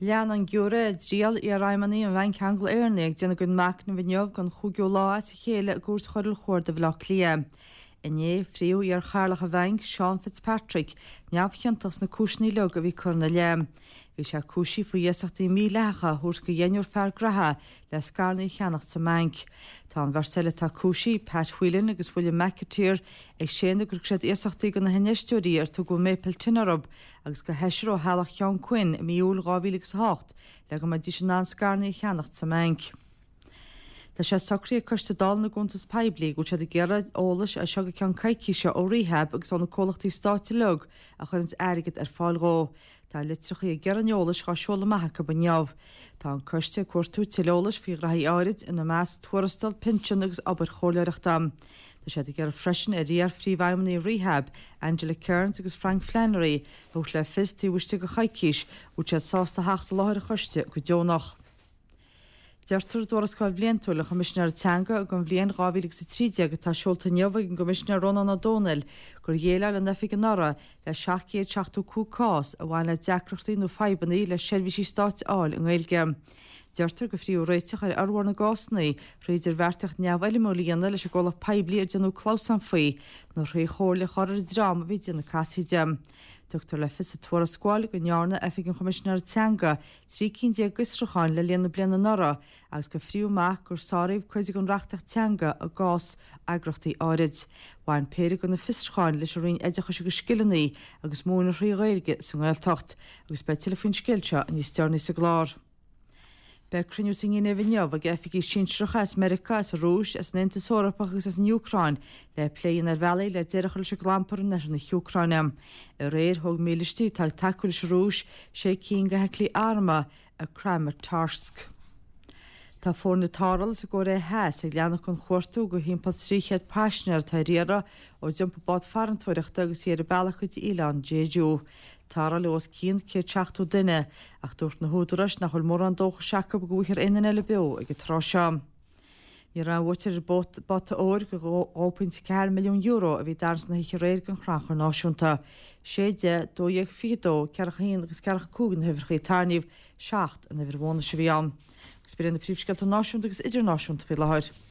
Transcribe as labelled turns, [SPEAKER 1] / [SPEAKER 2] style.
[SPEAKER 1] Lean an giúiré i dtriail iarfheidhmeannaigh an Bhainc Angla-Éireannaigh ag déanamh a gcuid machnaimh inniu don chúigiú lá as a chéile i gCúirt Choiriúil Chuarda Bhaile Átha Cliath. Inné, frítheadh iar-chathaoirleach an bhainc, Seán Fitzpatrick, neamhchiontach sna cúiseanna uilig a bhí curtha ina leith. Bhí sé cúisithe faoi iasachtaí mídhleathacha a thabhairt do dheichniúr fear graithe le scaireanna a cheannacht sa mbanc. Tá an bheirt eile atá cúisithe, Pat Whelan agus William McAteer, ag séanadh gur thug siad iasachtaí do na hinfheisteoirí ar tugadh Maple Tin orthu agus do sheisear ó theaghlach Sheáin Quinn i mí Iúil 2008 le go mbeidís in ann scaireanna a cheannacht sa mbanc. Tá sé socraithe ag Coiste Dála na gCuntas Poiblí go bhfuil siad ag iarraidh eolais as seo go ceann coicíse ó Rehab agus ó na comhlachtaí stáit uilig a chuireanns airgead ar fáil dhó. Tá litreachaí ag iarraidh an eolais dhá seoladh amach acu inniu. Tá an coiste ag cuartú tuilleadh eolais faoi ghraithí áirid, ina measc tuarastal, pinsean agus obair chomhairleoireachta. Tá siad ag iarraidh freisin ar iar-phríomhfheidhmeannaigh Rehab, Angela Kearns agus Frank Flannery, a thabhairt le fios taobh istigh de choicís an bhfuil siad sásta theacht i láthair an choiste go deonach. Deirtear i dTuarascáil Bhliantúil an Choimisinéara Teanga don bhliain 2013 atá seolta inniu ag an gCoimisinéir Rónán Ó Domhnaill gur dhéileáil an oifig anuraidh le 775 cás a bhain le deacrachtaí nó fadhbanna le seirbhísí stáit a fháil i nGaeilge. Deirtear gur frítheadh réiteach ar fhormhór na gcásanna thrí idirbheartaíocht neamhfhoirmiúil a dhéanamh leis an gcomhlacht poiblí ar déanadh clamhsán faoi nó thrí chomhairle a chur ar an dream a bhí ag déanamh casaoide. Tugtar le fios sa tuarascáil go ndearna Oifig an Choimisinéara Teanga 13 cinn d'fhiosrúcháin le linn na bliana anuraidh agus gur frítheadh amach gur sáraíodh cuid den reachtaíocht teanga i gcás eagraíochtaí áirid. Bhain péire de na fiosrúcháin leis an Roinn Oideachais agus Scileanna agus múineadh thrí Ghaeilge sa nGaeltacht. Agus beidh tuilleadh faoin scéal seo níos deireanaí sa gclár. Beidh cruinniú sa nGinéiv inniu ag oifigigh sinsearacha as Meiriceá, as an Rúis, as an Aontas Eorpach agus as an Úcráin le plé a dhéanamh ar bhealaí le deireadh a chur leis an gclampar in oirthear na hÚcráine. Aréir, thóg mílístí atá ag tacú leis an Rúis sé cinn de fheithiclí armtha i Kramatorsk. Tá foirne tarrthála sa gCóiré Theas ag leanacht den chuartú do thimpeall 300 paisinéir atá ar iarraidh ó d'iompaigh bád farantóireachta agus í ar a bealach go dtí oileán Jeju. Tarrtháladh os cionn 170 duine ach dúirt na húdaráis nach bhfuil mórán dóchais acu go bhfaighfear aon duine eile beo ag an tráth seo. Ní raibh aon bhuaiteoir ar an bpota óir de €2.4 milliún a bhí i dtarraingt na hoíche aréir don Chrannchur Náisiúnta. 6, 10, 12, 22, 14 1 agus 14 5 na huimhreacha a tarraingíodh, 7 an uimhir bhónais a bhí ann. Agus b'in iad na príomhscéalta náisiúnta agus idirnáisiúnta faoi láthair.